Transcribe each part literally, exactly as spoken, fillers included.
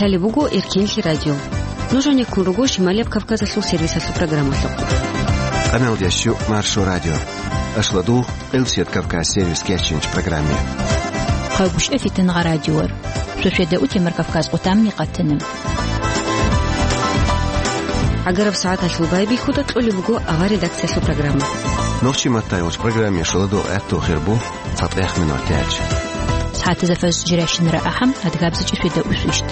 Гьале буго Эркенлъи радио. Нуж гьанеккун руго Шималияб Кавказалъул сервисалъул программалъухъ. Къамел дящу Маршо радио. Ашладу Къилсият Кавказ сервис кечинч программе. Хъагушев Фитнагъа радиор. Шошеда утемар Кавказ къутамни къатана. Агараб сагӀаталъул байбихьуда кьолеб буго авар редакциялъул программа. Нохчи маттайолч программе шаладу гӀатту хирбу. ЦатӀех минут гьечӀ. СагӀатазда фаз жиращинара ахӀам, адгабзичӀи шведа усвищт.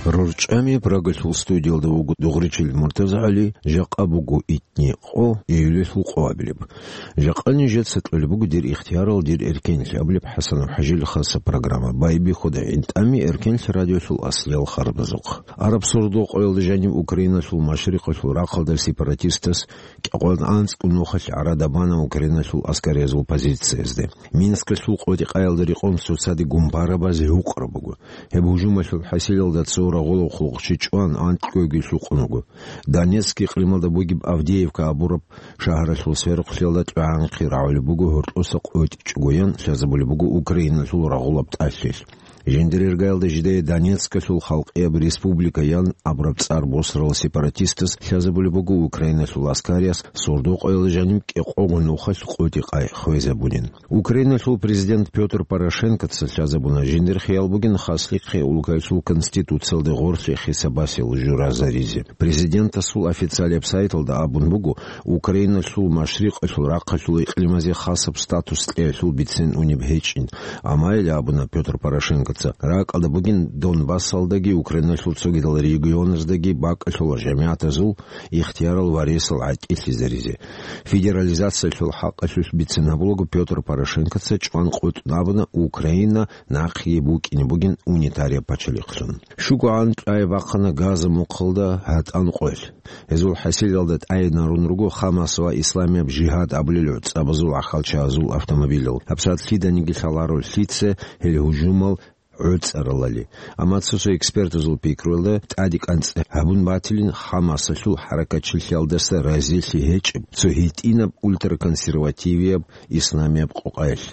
РорчӀами Прагалъул студиялда вуго дугъричил МуртазагӀали, жакъа буго итни къо, июлалъул къоабилеб. Жакъа нижеца кьолеб буго дир ихтиярал, дир эркенлъи абулеб ХӀасанов ХӀажил хаса программа. Байбихьуда гӀинтӀами Эркенлъи радиолъул аслиял харбазухъ. Араб сордо-къоялда жаниб Украиналъул машрикъалъул рахъалда сепаратистас кӀикъоялда анцӀго нухалъ гӀарада бана Украиналъул аскариязул позициязде. Минскалъул къотӀи-къаялда рекъон цоцаде гумпарабаз гьукъра буго. Гьеб гьужумалъул хӀасилалда цо рагъулав хъулухъчи чӀван, анкьгоги лъукъун вуго. Донецк икълималда бугеб Авдеевка абураб шагьаралъул сверухълъиялда тӀугӀанхъи рагӀулеб буго гьоркьоса къотӀичӀогоян лъазабулеб буго Украиналъул рагъулаб тӀалъилъ. Жиндирергаялда жидее Донецкалъул халкъияб республика ян абураб цӀар босарал сепаратистас лъазабулеб буго Украиналъул аскариялъ сордо-къоялда жаниб кӀикъого нухалъ къотӀи-къай хвезабунин. Украиналъул президент Пётр Порошенкоца лъазабуна жиндир хиял бугин хаслихъе улкалъул конституциялде гъорлъе хисабасел журазаризе. Президентасул официалияб сайталда абун буго, Украиналъул машрикъалъул рахъалъул икълимазе хасаб статус кьеялъул бицен унеб гьечӀин. Амма гьеле абуна Пётр Порошенкоца, ракӀалда бугин Донбассалдаги Украиналъул цогидал регионаздаги бакӀалъула жамигӀатазул ихтиярал ва ресал гӀатӀилъизаризе. Федерализациялъул хӀакъалъулъ бицен гьабулаго Пётр Порошенкоца чӀван къотӀун абуна Украина нахъе букӀине бугин унитарияб пачалихълъун. ШугогӀан тӀай бахъана Газа мухъалда гьатӀан къвел. Гьезул хӀасилалда тӀайинарун руго Хамас ва Исламияб жигьад абулел гӀуцӀабазул ахалчазул автомобилал. ГьабсагӀат лъиданиги лъаларо лъица гьел гьужумал гӀуцӀаралали. Амма цо-цо экспертазул пикруялда тӀаде кӀанцӀ гьабун батилин Хамасалъул хӀаракатчилъиялдаса разилъи гьечӀеб, цо гьитӀинаб ультраконсервативияб исламияб къокъаялъ.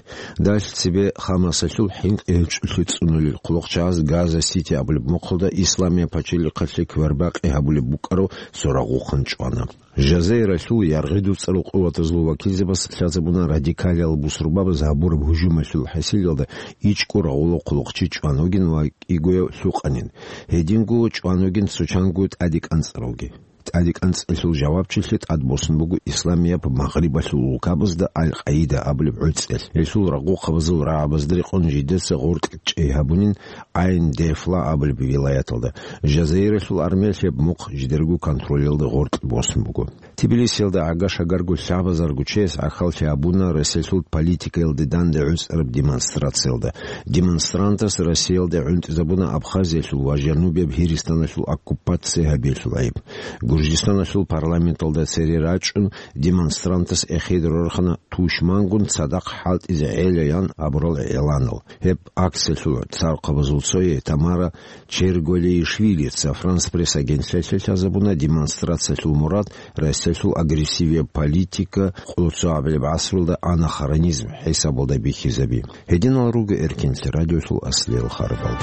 Далъ цебе Хамасалъул хӀинкъи гьечӀолъи цӀунулел хъулухъчагӀаз Газа-Сити абулеб мухъалда исламияб пачалихъалъе квербакъи гьабулеб букӀарав цо рагъухъан чӀвана. Жазаиралъул яргъи дуцӀарал къуватазул вакилзабаз лъазабуна радикалиял бусурбабаз гьабураб гьужумалъул хӀасилалда ичӀго рагъулав хъулухъчи чӀван вугин ва кӀигояв лъукъанин. Гьединго чӀван вугин цо чанго тӀаде кӀанцӀаравги. ТӀаде кӀанцӀалъул жавабчилъи тӀад босун буго Исламияб Магърибалъул улкабазда Аль-Къаида абулеб гӀуцӀел. Гьелъул рагъухъабазул рагӀабазда рекъон жидеца гъоркь чӀей гьабунин Айн-де-Фла абулеб вилаяталда. Жазаиралъул армиялъ гьеб мухъ жидерго контролялда гъоркь босун буго. Тбилисиялда гӀага-шагарго лъабазарго чияс гӀахьаллъи гьабуна Россиялъул политикаялде данде гӀуцӀараб демонстрациялда. Демонстрантас Россиялде гӀунтӀизабуна Абхазиялъул ва Жанубияб Гьиристаналъул оккупаци гьабиялъул гӀайиб. Гуржистаналъул парламенталда цере рачӀун, демонстрантас эхеде рорхана тушмангун цадахъ хӀалтӀизе гӀелаян абурал гӀеланал. Гьеб акциялъул цархъабазул цое Тамара Черголеишвилица Франс Пресс агентствалъе лъазабуна демонстрациялъул мурад Россиялъул агрессивияб политика, къуллъу гьабилеб гӀасрулда анахронизм хӀисабалда бихьизаби. Гьединал руго Эркенлъи радиолъул аслиял харбал.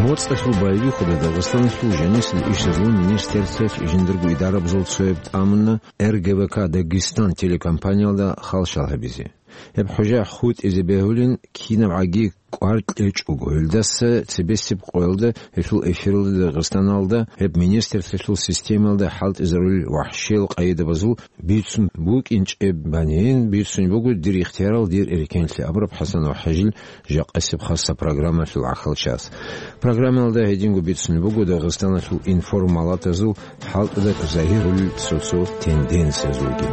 МоцӀалъул байбихьуда Дагъистаналъул жанисел ишазул министерствалъ жиндирго идарабазул цояб тӀамуна Р Г В К Дагестан телекомпаниялда халщал гьабизе. Гьеб хӀужа хутӀизе бегьулин, кинабгӀаги кӀвар кьечӀого, гьелдаса цебесеб къоялда гьелъул эфиралда Дагъистаналда гьеб министрлъиялъул системаялда хӀалтӀизарулел вахӀшиял къайдабазул бицун букӀинчӀеб банин, бицун буго дир ихтиярал, дир эркенлъи абураб ХӀасанов ХӀажил жакъасеб хасса программалъул гӀахьалчас. Программалда гьединго бицун буго Дагъистаналъул информалатазул хӀалтӀуда загьирулел цо-цо тенденциязулги.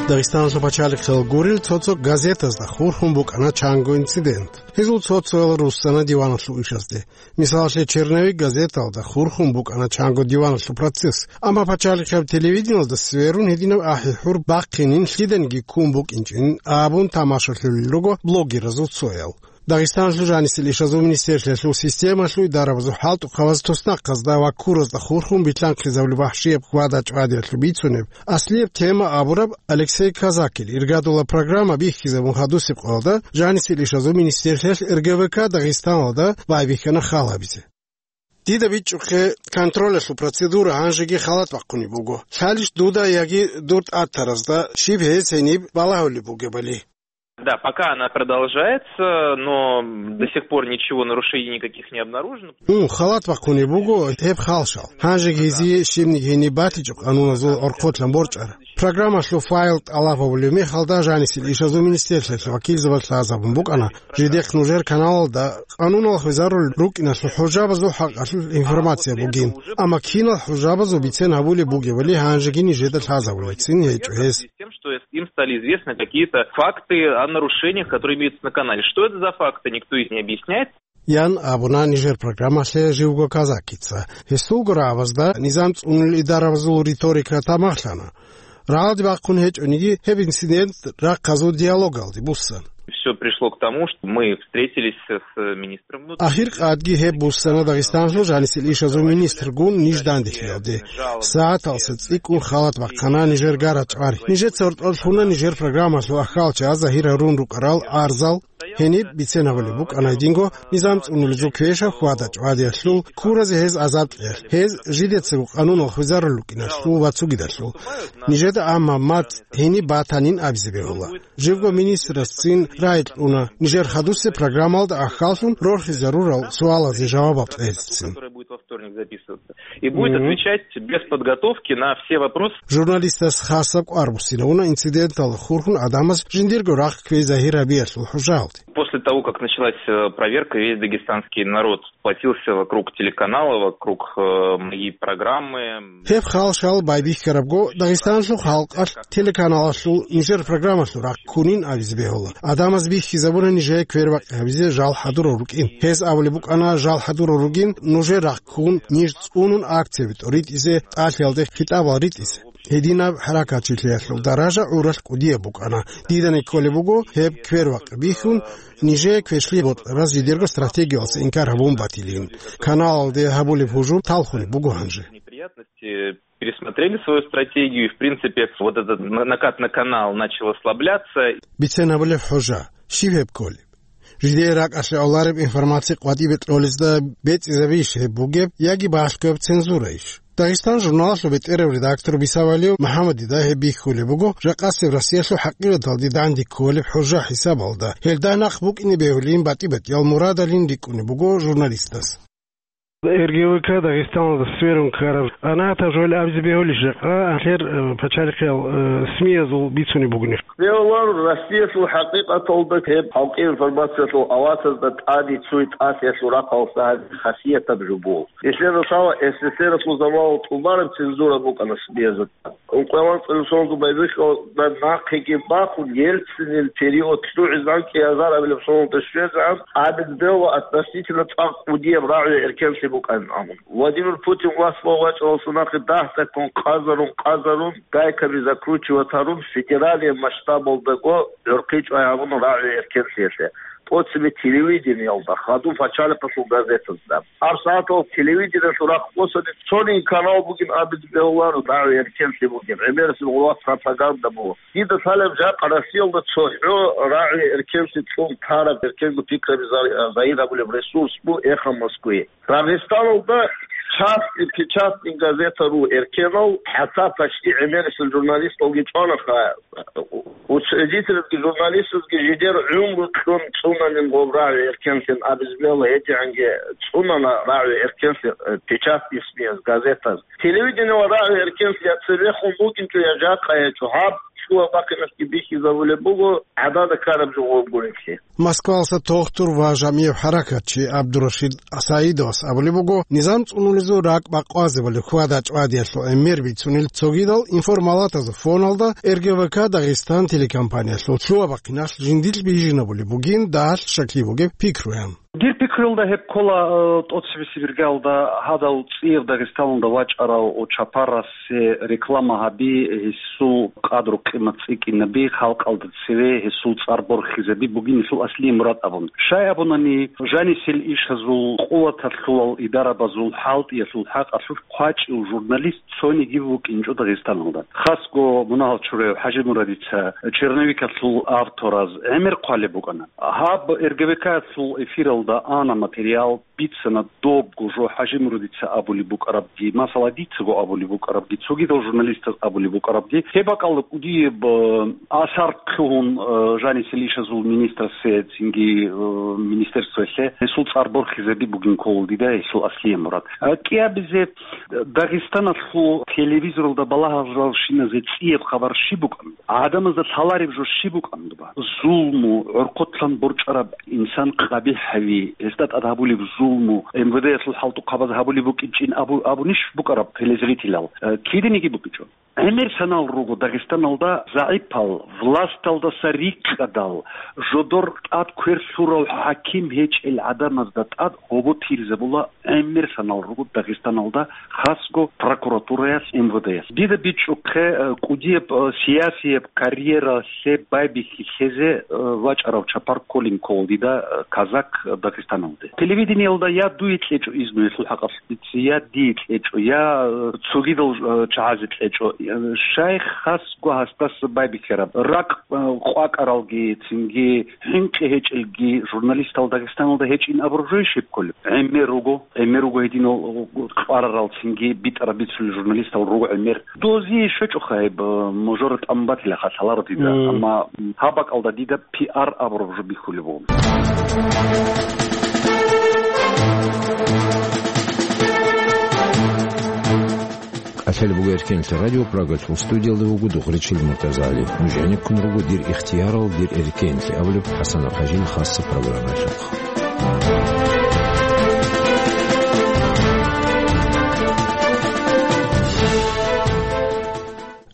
Дагъистаналъул пачалихъал гурел цо-цо газетазда хурхун букӀана чанго инцидент. Гьезул цо-цоял руссана диваналъул ишазде. Мисалалъе, «Черновик» газеталда хурхун букӀана чанго диваналъул процесс, амма пачалихъияб телевидениялда сверун гьединаб ахӀи-хӀур бахъинин, лъиданиги ккун букӀинчӀин абун тамашалъулел руго блогеразул цоял. Дагъистаналъул жанисел ишазул министерствоялъул системалъул идарабазул хӀалтӀухъабаз туснахъазда ва ккуразда хурхун билълъанхъизабулеб вахӀшияб хьвада-чӀвадиялъул бицунеб аслияб тема абураб Алексей Казакил иргадула программа бихьизабун хадусеб къоялда жанисел ишазул министерствоялъ Р Г В К Дагъистаналда байбихьана хал гьабизе. Дида бичӀчӀухъе, контролялъул процедура гьанжеги халат бахъунеб буго. Лъалищ дуда яги дур тӀатаразда щиб гьез гьениб балагьулеб бугебали? Да, пока она продолжается, но до сих пор ничего, нарушений никаких не обнаружено. Ун, халат бахъунеб буго гьеб халшал. Гьанжеги гьезие щибниги гьениб батичӀеб къануназул гӀорхъолъан борчӀара. Программалъул файл тӀалаб гьабулеб мехалда жанисел ишазул министерствоялъул вакилзабаз лъазабун букӀана, жидехъ нужер каналалда къануналъ хвезарулел рукӀиналъул хӀужабазул хӀакъалъулъ информация бугин, амма кинал хӀужабазул бицен гьабулеб бугебали гьанжеги нижеда лъазабулебцин гьечӀо гьес. Тем, что им стали известны какие-то факты о нарушениях, которые имеются на канале. Что это за факты, никто их не объясняет. Ян абуна нижер программалъе живго Казакица. Гьесулго рагӀабазда низам цӀунулел идарабазул риторика тамахлъана. Рагьалде бахъун гьечӀониги, гьеб инцидент рахъазул диалогалде буссан. Всё пришло к тому, что мы встретились с министром внутренних дел. Ахир къадги гьеб буссана Дагъистаналъул жанисел ишазул министргун ниж данделъиялде. СагӀаталса цӀикӀкӀун халат бахъана нижер гарачӀвари. Нижеца гьоркьор лъуна нижер программалъул ахьалчагӀаз загьир гьарун рукӀарал арзал. Гьениб бицен гьабулеб букӀана гьединго низам цӀунулезул квешаб хьвада-чӀвадиялъул, ккуразе гьез азаб кьеялъ, гьез жидецаго къануналъ хвезарулел рукӀиналъул ва цогидалъул. Нижеда амма мацӀ гьениб батанин абизе бегьула. Живго министрасцин рагӀи кьуна нижер хадусеб программалда ахьаллъун рорхизарурал суалазе жавабал кьецин. И будет отвечать без подготовки на все вопросы. Журналистас хасаб кӀвар буссинавуна инциденталда хурхун гӀадамаз жиндирго рахъ кквей загьир гьабиялъул хӀужалде. После того, как началась, э, проверка, весь дагестанский народ сплотился вокруг телеканала, вокруг, э, моей программы. Гьеб халшал байбихьарабго, Дагъистаналъул халкъалъ телеканалалъул нижер программалъул рахъ ккунин абизе бегьула. ГӀадамаз бихьизабуна нижее квербакъи гьабизе жал хӀадурал рукӀин. Гьез абулеб букӀана жал хӀадурал ругин, нужер рахъ ккун, ниж цӀунун акцияби тӀоритӀизе, тӀалъиялде хитӀабал ритӀизе. Гьединаб хӀаракатчилъиялъул даража гӀуралъ кӀудияб букӀана. Дидани кколеб буго, гьеб квербакъи бихьун, нижее квешлъи бокьараз жидерго стратегиялъе инкар гьабун батилин. Каналалде гьабулеб гьужум талхунеб буго гьанже. Пересмотрели свою стратегию, и, в принципе, вот этот на-, накат на канал начал ослабляться. Бицен гьабулеб хӀужа, щиб гьеб кколеб? Жидее ракӀалъе гӀолареб информация къватӀибе кьолезда бецӀизабищ гьеб бугеб яги балъгояб цензураищ? Дагъистан журналалъул бетӀерав редактор Бисавалиев МухӀаммадида гьеб бихьулеб буго, жакъасеб Россиялъул хӀакъикъаталде данде кколеб хӀужа хӀисабалда. Гьелда нахъ букӀине бегьулин батӀи-батӀиял мурадалин рикӀкӀунеб буго журналистас. Р Г В К Дагъистаналда сверун ккараб къанагӀатаб жо абизе бегьулищ жакъа, гьалъер, э, пачалихъиял, э, СМИ-язул бицунеб бугони. Бегьуларо, Россиялъул хӀакъикъаталда гьеб халкъи информациялъул авасазда тӀаде цуй тӀасиялъул рахъалъа гьабизе хасиятаб жо буго. Нилъер росала С С Р-алъул заманалда тӀубараб цензура букӀана СМИ-язда. Ункъоялда цӀалисолда байбихьа нахъеги бахун, Ельцинил период лъугӀизегӀан кӀиазар абилеб соналда щвезегӀан, абизе бегьула относительно цӀакъ кӀудияб рагӀи-эркенлъи букӀанин абун. Владимир Путин власть вачӀарал сунахъе дагь-дагьккун къазарун-къазарун, гайкаби закручивать гьарун, федералияб масштабалдаго гӀурхъи чӀвай гьабуна рагӀи-эркенлъиялъе. ТӀоцебе телевидениялда, хадуб пачалихъалъул газетазда. ГьабсагӀатал телевидениялъул рахъ босани цонигӀан канал бугин абизе бегьуларо, рагӀи-эркенлъи бугин, гӀемерисел гъуллъа пропаганда буго. Дида лъалеб жакъа Россиялда цохӀо рагӀи-эркенлъи цӀун тараб эркенго пикраби за-, загьир гьабулеб ресурс буго Эхо Москвы. Дагъистаналда частный, печатный газета ру эркенал, хӀатта почти гӀемерисел журналисталги чӀванаха. Учредительги, журналистазги жидер гӀумру кьун цӀунанин гъоб рагӀи-эркенлъин абизе бегьула, гьедигӀанги цӀунана рагӀи-эркенлъи, э, печатный СМИ-яз, газетаз. Телевидениялъ рагӀи-эркенлъи я цебехун букӀинчӀо, я жакъа гьечӀо, гьаб лъугьа-бахъиналъги бихьизабулеб буго гӀадада ккараб жо гъоб гурелъи. Москвалъа тухтур ва жамигӀ хӀаракатчи ГӀабдурашид Саидовас абулеб буго, низам цӀунулезул ракӀ бакъвазабали хьвада-чӀвадиялъул гӀемер бицунел цогидал информалатазул фоналда Р Г В К Дагъистан телекомпаниялъул лъугьа-бахъиналъ жиндилъ бижинабулеб бугин дагьалъ щаклъи бугеб пикруян. Дир пикруялда гьеб ккола, э, тӀоцебесеб иргаялда гьадав цӀияб Дагъистаналда вачӀарав Чапарасе реклама гьаби, гьесул къадру-къимат цӀикӀкӀинаби, халкъалда цеве гьесул цӀар борхизаби бугин гьесул аслияб мурад абун. Щай абунани, жанисел ишазул, къуваталъулал идарабазул, хӀалтӀиялъул хӀакъалъулъ хъвачӀев журналист цониги вукӀинчӀо Дагъистаналда. Хасго мунагьал чураяв ХӀажимурадица черновикалъул автораз гӀемер хъвалеб букӀана. Гьаб РГВК-ялъул эфиралда ана материал, бицана добго жо ХӀажимурадица абулеб букӀарабги, масала, дицаго абулеб букӀарабги, цогидал журналистаз абулеб букӀарабги. Гьеб бакӀалда кӀудияб, э, асар лъугьун, э, жанисел ишазул министрасе, цинги, э, министерствоялъе гьесул цӀар борхизаби бугин ккола дида гьесул аслияб мурад. Э, кӀиабизе Дагъистаналъул телевизоралда балагьаралщиназе цӀияб хабар щиб букӀан? ГӀадамазда лъалареб жо щиб букӀан дуба? Зулму, гӀорхъотлъан борчӀараб инсан къабихӀ гьави, гьесда тӀад гьабулеб зулму, МВД-ялъул хӀалтӀухъабаз гьабулеб букӀинчӀин абу-, абунищ букӀараб телезрителал? Э, киданиги букӀинчӀо. ГӀемер санал руго Дагъистаналда загӀипал, власталдаса рикӀкӀадал, жодор тӀад квер лъурав хӀаким гьечӀел гӀадамазда тӀад гьобо тирзабула гӀемер санал руго Дагъистаналда, хасго прокуратураялъ, МВД-ялъ. Дида бичӀчӀухъе, э, кӀудияб, э, сиясияб карьералъе байбихьи лъезе, э, вачӀарав чапар кколин ккола дида, э, казак Дагъистаналде. Телевидениялда я дуе кьечӀо изну гьелъул хӀакъалъулъ, я дие кьечӀо, я, э, цогидал, э, чагӀазе кьечӀо. Э, щай хасго гьасдаса байбихьараб? Ракъ, э, къвакӀаралги, цинги хӀинкъи гьечӀелги журналистал Дагъистаналда гьечӀин абураб жо щиб кколеб? ГӀемер руго, гӀемер руго гьединал кьварарал, цинги битӀараб бицулел журналистал руго гӀемер. Дозие щвечӀоха гьеб, э, мажора тӀамун батилаха лъаларо дида, Мм. амма, м, гьаб бакӀалда дида пиар абураб жо бихьулеб буго. КӀалъалеб буго Эркенлъа радио, Прагалъул студиялда вуго Духричил МуртазагӀали. Нуж гӀенеккун руго «Дир ихтиярал, дир эркенлъи» абулеб ХӀасан ХӀажил хасса программаялъухъ.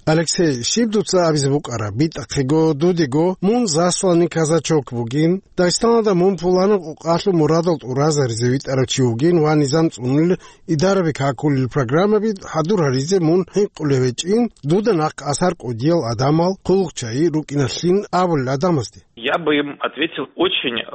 Алексей, щиб дуца абизе букӀараб? БитӀахъего, дудего, мун засланный казачок бугин, Дагъистаналда мун пуланаб къукъалъул мурадал тӀуразаризе витӀарав чи вугин ва низам цӀунулел, идараби какулел программаби хӀадур гьаризе мун хӀинкъулев гьечӀин, дуда нахъ асар кӀудиял адамал, хъулухъчагӀи рукӀиналъин абулел адамазде. Я бы им ответил очень, э,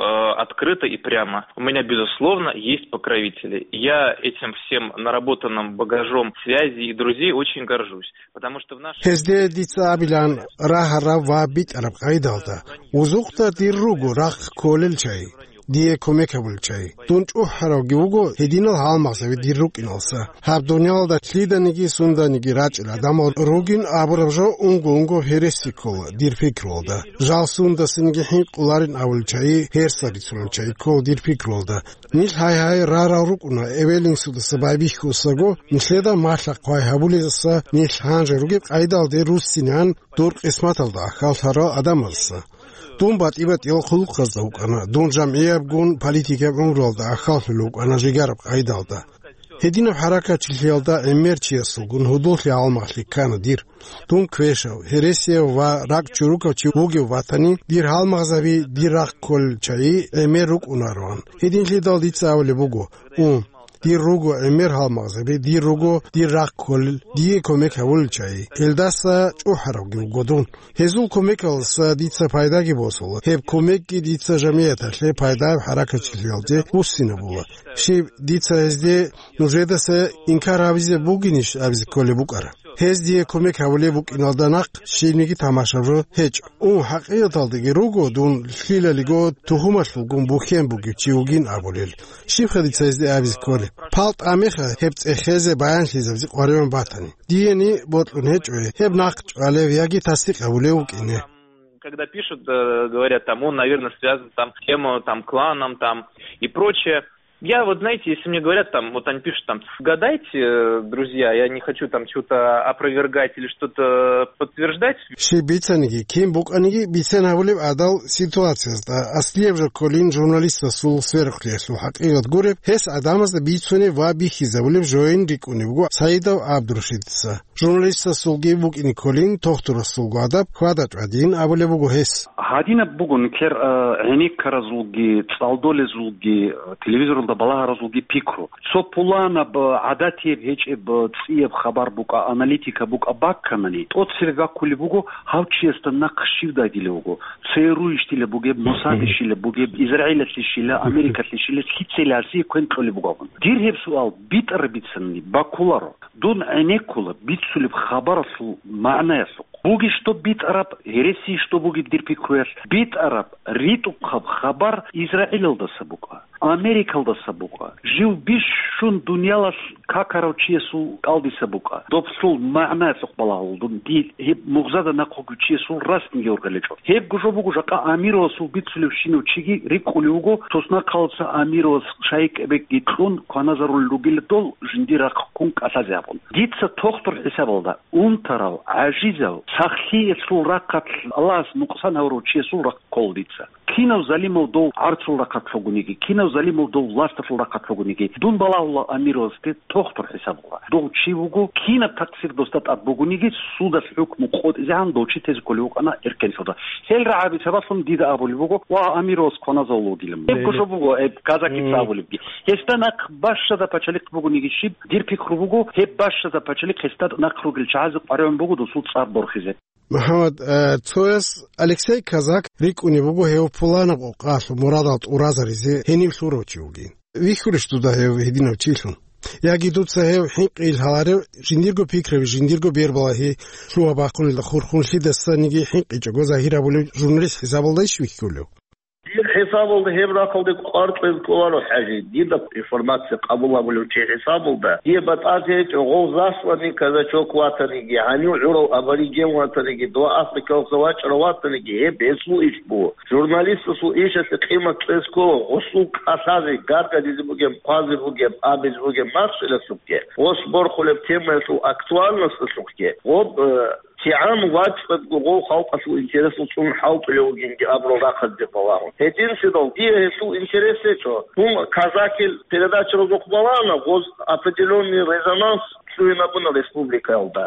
открыто и прямо. У меня, безусловно, есть покровители. Я этим всем наработанным багажом связей и друзей очень горжусь. Потому что в наше Гьезде дица абилан рагьараб ва битӀараб къайдалда, вузухъда дир руго рахъ кколел чагӀи, дие кумек гьабулел чагӀи. Дун чӀухӀаравги вуго гьединал гьалмагъзаби дир рукӀиналса. Гьаб дуниялалда лъиданиги сунданиги рачӀел гӀадамал ругин абураб жо унго-унго гьереси ккола дир пикруялда. Жал сундасаниги хӀинкъуларин абулел чагӀи, гьерса рицунел чагӀи ккола дир пикруялда. Нилъ гьай-гьай рарал рукӀуна, эвел-инсудаса байбихьусаго, нилъеда малъа-хъвай гьабулезаса нилъ гьанже ругеб къайдалде руссинан дур къисматалда ахьаллъарал адамазаса. Дун батӀи-батӀиял хъулухъазда вукӀана, дун жамгӀиябгун политикаб гӀумруялда ахьаллъулев вукӀана жигараб къайдалда. Гьединаб хӀаракатчилъиялда гӀемер чиясулгун гьудуллъи гьалмагълъи ккана дир. Дун квешав, гьересияв ва ракӀ чурукав чи вугев батани, дир гьалмагъзаби дир рахъ кколел чагӀи гӀемер рукӀунароан. Гьединлъидал дица абулеб буго: «У, дир руго гӀемер гьалмагъзаби, дир руго дир рахъ кколел, дие кумек гьавулел чагӀи». Гьелдаса чӀухӀаравги вуго дун. Гьезул кумекалдаса дица пайдаги босула. Гьеб кумекги дица жамияталъе пайдаяб хӀаракатчилъиялде буссинабула. Щиб, дица гьезде нужедаса инкар гьабизе бугинищ абизе кколеб букӀара? Гьез дие кумек гьабулеб букӀиналда нахъ щибниги тамашаб жо гьечӀо. У, хӀакъикъаталдаги руго дун лъилалиго тухумалъулгун бухьен бугев чи вугин абулел. Щибха дица гьезде абизе кколеб? Пал тӀамеха гьеб цӀехезе баянлъизабизе къваригӀун батани. Диени бокьун гьечӀо гьеб нахъ чӀвалев яги тасдикъ гьабулев вукӀине. Когда пишут, э, говорят, там, он, наверное, связан там с тем, э, там, кланом, там, и прочее. Я вот, знаете, если мне говорят, там, вот они пишут, там, гадайте, э, друзья, я не хочу там что-то опровергать или что-то подтверждать. Щиб бицаниги, кин букӀаниги, бицен гьабулеб гӀадал ситуациязда, аслияб жо кколин журналистасул сверухълъиялъул хӀакъикъат гуреб, гьес гӀадамазда бицунеб ва бихьизабулеб жоян рикӀкӀунеб буго Саидов ГӀабдуршидица. Журналистасулги букӀине кколин, тохтурасулго адаб хьвада-тӀвадин абулеб буго гьес. Гьадинаб буго нилъер, э, гӀенеккаразулги, цӀалдолезулги, э, телевизоралда балагьаразулги пикру. Цо пуланаб, э, гӀадатияб гьечӀеб, э, цӀияб хабар букӀа, аналитика букӀа бакканани, тӀоцебе баккулеб буго гьав чиясда нахъ щив дагилев вуго, ЦРУ-йищила бугеб, Мосадищила бугеб, Израилалъищила, Америкалъищила, лъицайила гьасие квен кьолеб буго абун. Дир гьеб суал битӀараб бицани баккуларо. Дун гӀенеккула бицулеб хабаралъул магӀнаялъухъ. Бугищ доб битӀараб, гьереси ищ доб бугеб дир пикруялъ, битӀараб, ритӀухъаб хабар Израилалдаса букӀа, Америкалдаса букӀа, жив бищун дуниялалъ какарав чиясул кӀалдиса букӀа. Доблъул магӀнаялъухъ балагьул дун, дир гьеб мугъзада нахъ вугев чиясул расниги ургъелечӀо. Гьебго жо буго жакъа Амировасул бицулевщинав чиги рикӀкӀулев вуго, соснахъалца Амировас шайикӀабекги кьун кваназарулел ругел дол жиндир рахъ ккун кӀалъазе абун. Дица тохтур хӀисабалда, унтарав, гӀажизав, сахлъиялъул рахъалъ Аллагьас нукъсан гьавурав чиясул рахъ ккола дица. Кинав залимав дов гӀарцул рахъалъ вугониги, кинав залимав дов власталъул рахъалъ вугониги, дун балагьула Амировасде тохтур хӀисабалда. Дов чи вуго, кинаб такъсир досда тӀад бугониги, судалъ хӀукму къотӀизегӀан дов чи тезе кколев вукӀана эркенлъуда. Гьел рагӀаби сабаблъун дида абулеб буго, ва Амировас кваназавул вугилан. Гьебго жо буго, гьеб казакица абулебги. Гьесда нахъ бащада пачалихъ бугониги щиб, дир пикру буго, гьеб бащада пачалихъ гьесда нахъ ругел чагӀазе къваригӀун буго досул цӀар борхизе. МухӀаммад, э, цояс Алексей Казак рикӀкӀунеб буго гьев пуланаб къокъалъ мурадал тӀуразаризе гьенив лъурав чи вугин. Вихьулищ дуда гьев гьединав чилъун? Яги дуца гьев хӀинкъи ил гьаларев, жиндирго пикраби, жиндирго бербалагьи лъугьа-бахъунелда хурхун лъидасаниги хӀинкъичӀого загьир гьабулев журналист хӀисабалдайищ вихьулев? Дир хӀисабалда гьеб рахъалде кӀвар кьвез кӀоларо, ХӀажи. Дида информация къабул гьабулев чи хӀисабалда, дие батӀазе гьечӀо, гъов засланный казачок ватаниги, гьанив гӀурав абориген ватаниги, дова Африкалъа вачӀарав ватаниги, гьеб гьесул иш буго. Журналистасул ишалъе къимат кьез ккола, гъосул кӀалъазе, гаргадизе бугеб, хъвазе бугеб, абизе бугеб махщелалъухъе, гъос борхулеб темаялъул актуальносталъухъе, гъоб, э, кигӀан вачӀаго гъов халкъалъул интересал цӀун хӀалтӀулев вугинги абурал рахъалде балагьун. Гьединлъидал дие гьелъул интерес гьечӀо. Дун казакил передачаразухъ балагьана, гъоз определённый резонанс лъугьинабуна республикаялда.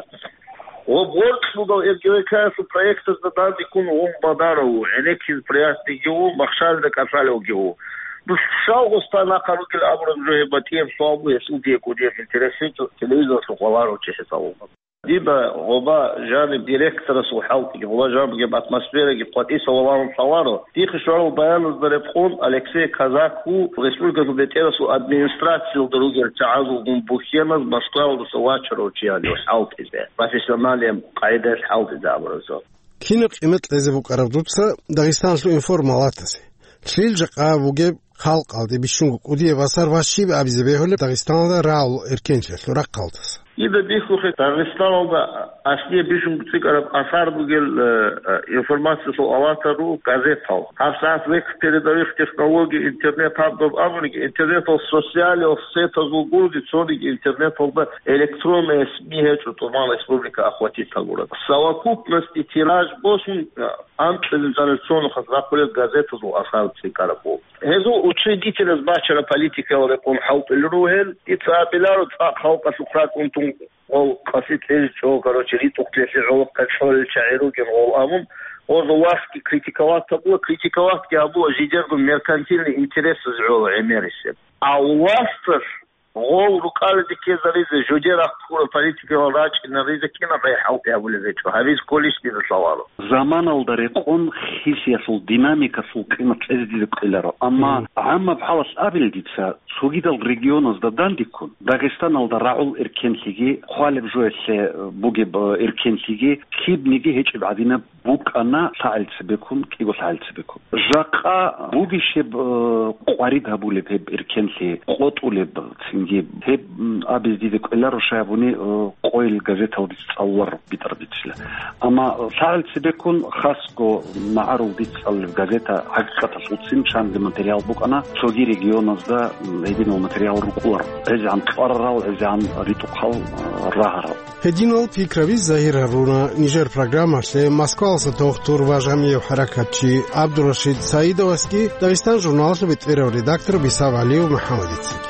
Ва борцӀ бугав РГВК-ялъул проектазда данде ккун вун Бадаров ву, гӀенеккиз приятныйги ву, махщалда кӀалъалевги ву. Дус щал гъоста нахъа ругел абураб жо гьеб батӀияб суал бу, гьесул дие кӀудияб интерес гьечӀо, телевизоралъухъ валарав чи хӀисабалда. Дида гъоба жаниб директорасул хӀалтӀиги, гъоба жаниб бугеб атмосфераги къватӀиса валарун лъаларо. Дихъе щварал баяназда рекъон, Алексей Казак ву республикалъул бетӀерасул администрациялда ругел чагӀазулгун бухьеназ Москваялдаса вачарав чи гьанив хӀалтӀизе, профессиональный къагӀидаялъ хӀалтӀизе абураб жо. Кинаб къимат кьезе букӀараб дуца Дагъистаналъул информалатазе? Лъил жакъа бугеб халкъалде бищунго кӀудияб асар ва щиб абизе бегьулеб Дагъистаналда рагӀул эркенлъиялъул рахъалдаса? Дида бихьухъе, Дагъистаналда аслияб бищунго цӀикӀкӀараб асар бугел, э, э, информациялъул алатар руго газетал. ГьабсагӀат век передовых технологий, интернет гьаб доб абуниги, интернетал социалиялъул сетазул гурони цониги интернеталда электронные СМИ гьечӀо, тӀубан республика охватить гьабураб. Совокупности тираж босун, э, анкьилел жанир цо нухалъ рахъулел газетазул асар цӀикӀкӀараб буго. Гьезул учредителаз бачараб политикаял рекъон хӀалтӀулел ругел, дица абиларо цӀакъ халкъалъухъ ракӀун тун гъол къаси кьезе чӀо, короче, ритӀухълъиялъе гӀолохъе кьолел чагӀи ругел гъол абун, гъозул властги критиковать гьабула, критиковатьги гьабула жидерго меркантильный интересаз гӀоло гӀемерисеб. А власталъ гъол рукӀализе ккезаризе, жуде рахъ ккураб политикалал рачӀинаризе кинаб гӀей хӀалтӀи гьабулеб гьечӀо, гьабиз кколищ дида лъаларо. Заманалда рекъон хисиялъул динамикалъул къимат кьезе дида ккеларо, амма гӀаммаб хӀалалъ абил дица, цогидал регионазда дандеккун, Дагъистаналда рагӀул эркенлъиги, хъвалеб жоялъе бугеб эркенлъиги, кибниги гьечӀеб гӀадинаб букӀана лъагӀел цебеккун, кӀиго лъагӀел цебеккун. Жакъа бугищеб, э, къварид гьабулеб гьеб эркенлъи, къотӀулеб цин Гьеб, м, абизе дида кӀвеларо, щай гьабуни, э, къойил газетал дица цӀалуларо битӀараб бицила. Амма лъагӀел цебеккун хасго магӀарул дица цӀалулеб газета ХӀакъикъаталъулцин чанги материал букӀана, цоги регионазда, м, гьединал материал рукӀуларо. ГӀезегӀан кьварарал, гӀезегӀан ритӀухъал, э, рагьарал. Гьединал пикраби загьир гьаруна нижер программалъе Москваласа дохтур ва жамигӀ хӀаракатчи ГӀабдурашид Саидовасги Дагъистан журналалъул бетӀерав редактор Бисав ГӀалиев МухӀаммадицаги.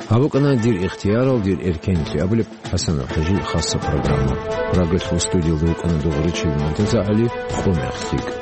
Гьаб букӀана «Дир ихтиярал, дир эркенлъи» абулеб ХӀасанов ХӀажил хасса программа. Прагалъул студиялда вукӀана Дугъричил МуртазагӀали, хъумехъ лъикӀ.